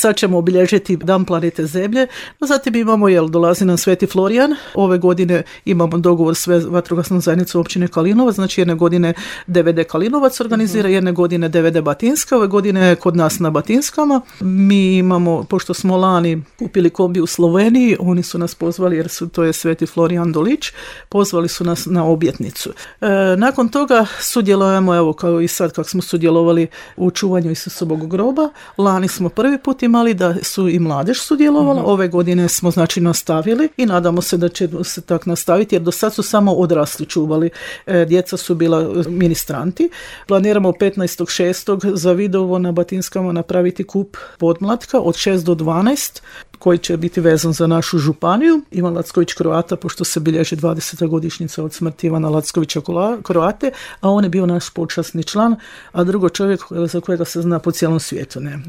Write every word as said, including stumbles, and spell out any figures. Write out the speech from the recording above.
sad ćemo obilježiti Dan planete Zemlje. Zatim imamo, jel, dolazi nam Sveti Florijan. Ove godine imamo dogovor s vatrogasnom zajednicom općine Kalinovac, znači jedne godine D V D Kalinovac organizira, uh-huh. jedne godine D V D Batinska, ove godine kod nas na Batinskama. Mi imamo, pošto smo lani kupili kombi u Sloveniji, oni su nas pozvali, jer su, to je Sveti Florijan Dolić, pozvali su nas na obljetnicu. E, nakon toga sudjelujemo, evo kao i sad kako smo sudjelovali u čuvanju Isusovog groba, lani smo prvi put imali da su i mladež sudjelovala, uh-huh. ove godine smo znači nastavili i nadamo se da će se tak nastaviti, jer do sad su samo odrasli čuvali, e, djeca su bila ministranti. Planiramo petnaestog šestog za Vidovo na Batinskama napraviti kup podmlatka od šest do dvanaest, koji će biti vezan za našu županiju, Ivan Lacković Kroata, pošto se bilježi dvadeseta godišnjica od smrti Ivana Lackovića Kroate, a on je bio naš počasni član, a drugo čovjek za kojega se zna po cijelom svijetu. Ne.